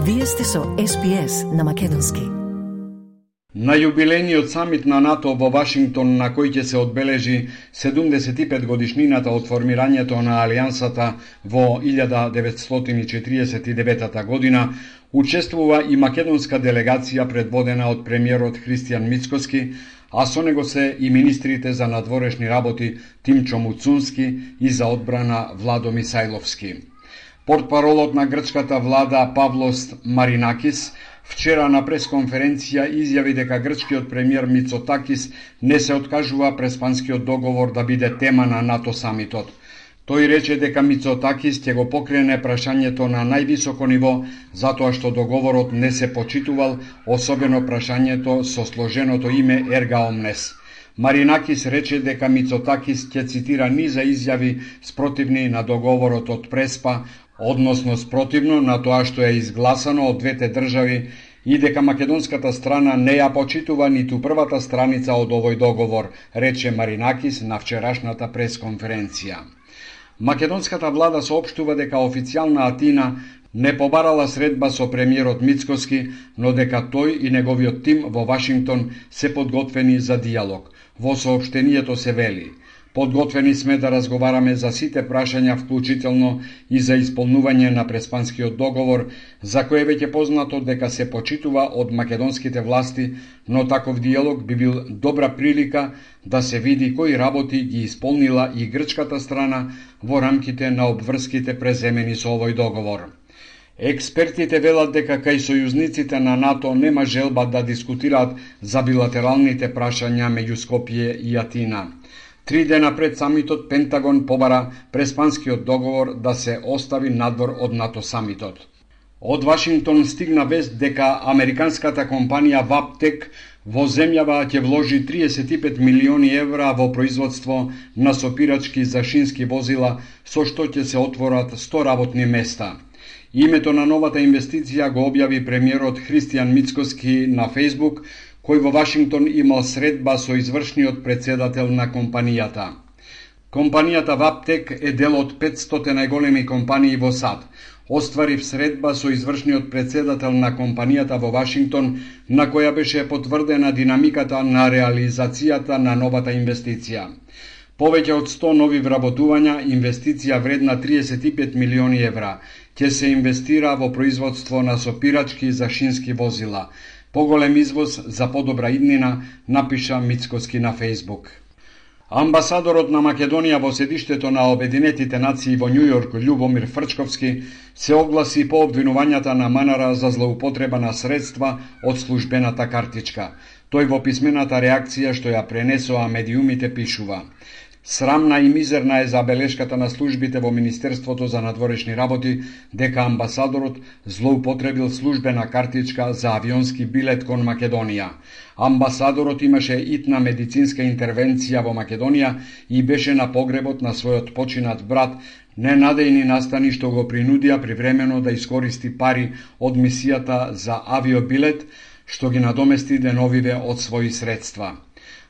Вие сте со SPS на македонски. На јубилејниот самит на НАТО во Вашингтон, на кој ќе се одбележи 75 годишнината од формирањето на Алијансата во 1949 година, учествува и македонска делегација предводена од премиерот Христијан Мицкоски, а со него се и министрите за надворешни работи Тимчо Муцунски и за одбрана Владо Мисајловски. Портпаролот на грчката влада Павлос Маринакис вчера на пресконференција изјави дека грчкиот премиер Мицотакис не се откажува преспанскиот договор да биде тема на НАТО самитот. Тој рече дека Мицотакис ќе го покрене прашањето на највисоко ниво затоа што договорот не се почитувал, особено прашањето со сложеното име Ерга Омнес. Маринакис рече дека Мицотакис ќе цитира низа изјави спротивни на договорот од Преспа, односно спротивно на тоа што е изгласано од двете држави и дека македонската страна не ја почитува ниту првата страница од овој договор, рече Маринакис на вчерашната пресконференција. Македонската влада соопштува дека официјална Атина не побарала средба со премиерот Мицкоски, но дека тој и неговиот тим во Вашингтон се подготвени за диалог. Во соопштението се вели: подготвени сме да разговараме за сите прашања, вклучително и за исполнување на преспанскиот договор, за кој е веќе познато дека се почитува од македонските власти, но таков диалог би бил добра прилика да се види кои работи ги исполнила и грчката страна во рамките на обврските преземени со овој договор. Експертите велат дека кај сојузниците на НАТО нема желба да дискутираат за билатералните прашања меѓу Скопје и Атина. 3 дена пред самитот Пентагон побара преспанскиот договор да се остави надвор од НАТО самитот. Од Вашингтон стигна вест дека американската компанија Ваптек во земјава ќе вложи 35 милиони евра во производство на сопирачки за шински возила, со што ќе се отворат 100 работни места. Името на новата инвестиција го објави премиерот Христијан Мицкоски на Фејсбук, кој во Вашингтон имал средба со извршниот председател на компанијата. Компанијата Ваптек е дел од 500 најголеми компании во САД. Остварив средба со извршниот председател на компанијата во Вашингтон, на која беше потврдена динамиката на реализацијата на новата инвестиција. Повеќе од 100 нови вработувања, инвестиција вредна 35 милиони евра, ќе се инвестира во производство на сопирачки за шински возила. Поголем извоз за подобра иднина, напиша Мицкоски на Фејсбук. Амбасадорот на Македонија во седиштето на Обединетите нации во Њујорк, Љубомир Фрчковски, се огласи по обвинувањата на Манара за злоупотреба на средства од службената картичка. Тој во писмената реакција што ја пренесоа медиумите пишува: срамна и мизерна е забелешката на службите во Министерството за надворешни работи дека амбасадорот злоупотребил службена картичка за авионски билет кон Македонија. Амбасадорот имаше итна медицинска интервенција во Македонија и беше на погребот на својот починат брат, ненадејни настани што го принудија привремено да искористи пари од мисијата за авиобилет, што ги надомести деновиве од своји средства.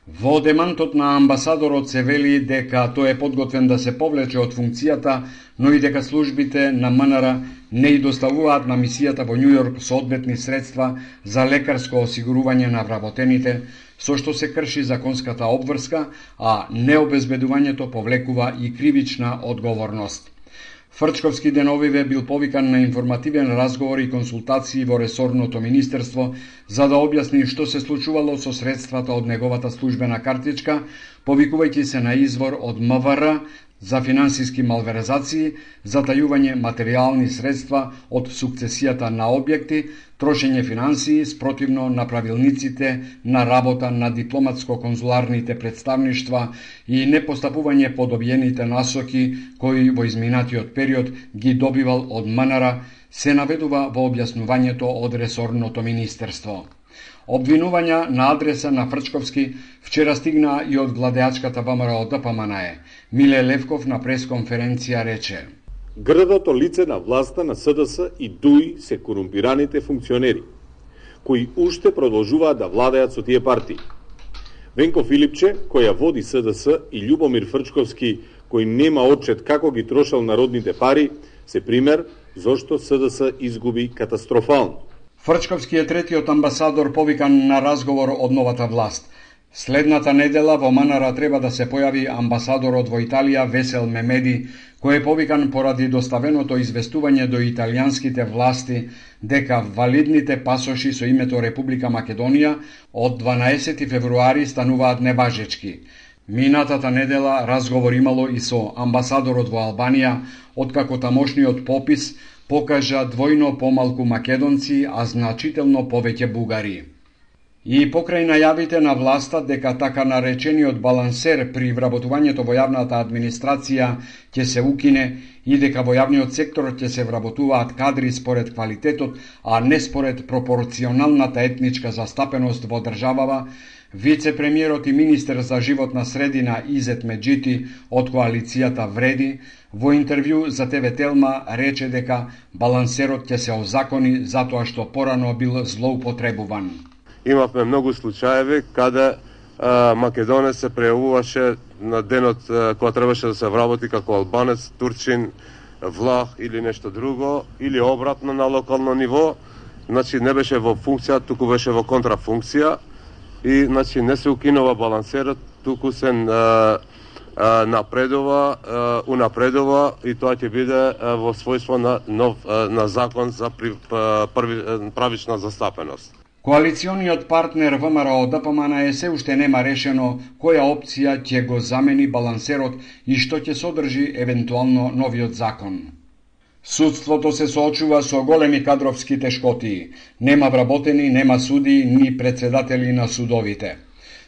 Во демантот на амбасадорот се вели дека тој е подготвен да се повлече од функцијата, но и дека службите на МНР не и доставуваат на мисијата во Њујорк соодветни средства за лекарско осигурување на вработените, со што се крши законската обврска, а необезбедувањето повлекува и кривична одговорност. Фрчковски деновиве бил повикан на информативен разговор и консултации во ресорното министерство за да објасни што се случувало со средствата од неговата службена картичка, повикувајќи се на извор од МВР за финансиски малверзации, затајување материјални средства од сукцесијата на објекти, трошење финансии спротивно на правилниците на работа на дипломатско-конзуларните представништва и непостапување по добиените насоки кои во изминатиот период ги добивал од МНР, се наведува во објаснувањето од ресорното министерство. Обвинувања на адреса на Фрчковски вчера стигна и од владеачката ВМРО ДПМНЕ. Миле Левков на пресконференција рече: грдото лице на власта на СДС и ДУИ се корумпираните функционери, кои уште продолжуваат да владеат со тие партии. Венко Филипче, кој ја води СДС, и Љубомир Фрчковски, кој нема отчет како ги трошал народните пари, се пример зошто СДС изгуби катастрофално. Фрчковски е третиот амбасадор повикан на разговор од новата власт. Следната недела во Манара треба да се појави амбасадорот во Италија Весел Мемеди, кој е повикан поради доставеното известување до италијанските власти дека валидните пасоши со името Република Македонија од 12 февруари стануваат неважечки. Минатата недела разговор имало и со амбасадорот во Албанија, откако тамошниот попис покажа двојно помалку македонци, а значително повеќе бугари. И покрај најавите на власта дека така наречениот балансер при вработувањето во јавната администрација ќе се укине и дека во јавниот сектор ќе се вработуваат кадри според квалитетот, а не според пропорционалната етничка застапеност во државава, вице-премиерот и министер за животна средина Изет Меджити од коалицијата Вреди во интервју за ТВ Телма рече дека балансерот ќе се озакони затоа што порано бил злоупотребуван. Имавме многу случаеви каде македонец се прејавуваше на денот кога требаше да се вработи како албанец, турчин, влах или нешто друго, или обратно на локално ниво, значи не беше во функција, туку беше во контрафункција и значи не се укинува балансерот, туку се унапредува и тоа ќе биде во својство на закон за правична застапеност. Коалициониот партнер ВМРО ДПМН се уште нема решено која опција ќе го замени балансерот и што ќе содржи евентуално новиот закон. Судството се соочува со големи кадровски тешкоти. Нема вработени, нема суди, ни председатели на судовите.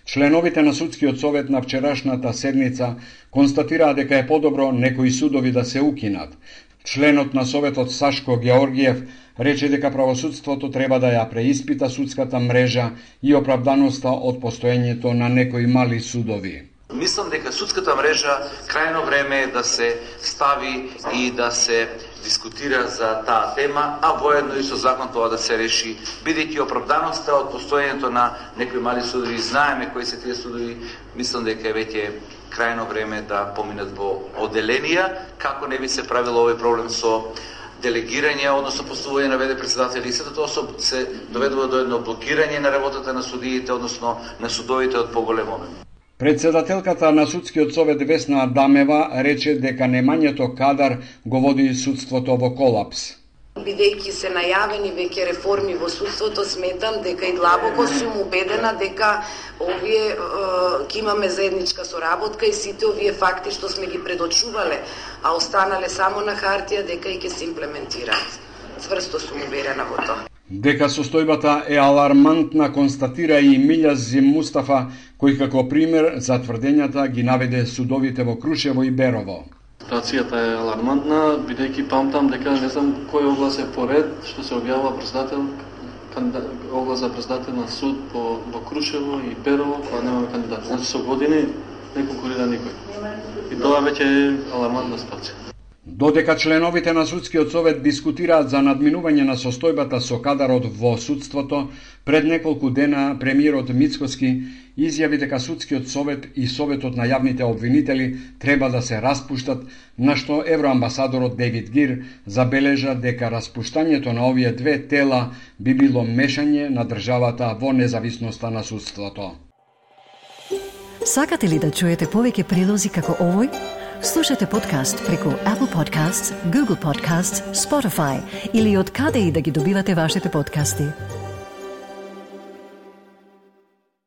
Членовите на Судскиот совет на вчерашната седница констатираа дека е подобро некои судови да се укинат. Членот на Советот Сашко Георгиев рече дека правосудството треба да ја преиспита судската мрежа и оправданоста од постоењето на некои мали судови. Мислам дека судската мрежа крајно време е да се стави и да се дискутира за таа тема, а воедно и со закон тоа да се реши, бидејќи оправданоста од постоењето на некои мали судови, знаеме кои се тие судови, мислам дека е веќе крајно време да поминат во оделенија, како не би се правило овој проблем со делегирање, односно поставување на ВД председатели и сето тоа се доведува до едно блокирање на работата на судиите, односно на судовите од поголем обем. Председателката на Судскиот совет Весна Адамева рече дека немањето кадар го води судството во колапс. Бидејќи се најавени веќе реформи во судството, сметам дека и длабоко сум убедена дека овие ќе имаме заедничка соработка и сите овие факти што сме ги предочувале, а останале само на хартија, дека и ќе се имплементираат. Цврсто сум уверена во тоа. Дека состојбата е алармантна констатира и Милја Зим Мустафа, кој како пример за тврдењата ги наведе судовите во Крушево и Берово. Ситуацијата е алармантна, бидејќи памтам дека не знам кој оглас е поред што се објавува председател, оглас за председател на суд во Крушево и Берово, кога немаме кандидат. Значи со години не конкурира никој. И тоа веќе е алармантна ситуација. Додека членовите на Судскиот совет дискутираат за надминување на состојбата со кадарот во судството, пред неколку дена премиерот Мицкоски изјави дека Судскиот совет и Советот на јавните обвинители треба да се распуштат, на што евроамбасадорот Дейвид Гир забележа дека распуштањето на овие две тела би било мешање на државата во независноста на судството. Сакате ли да чуете повеќе прилози како овој? Слушате подкаст преку Apple Podcasts, Google Podcasts, Spotify или од каде и да ги добивате вашите подкасти.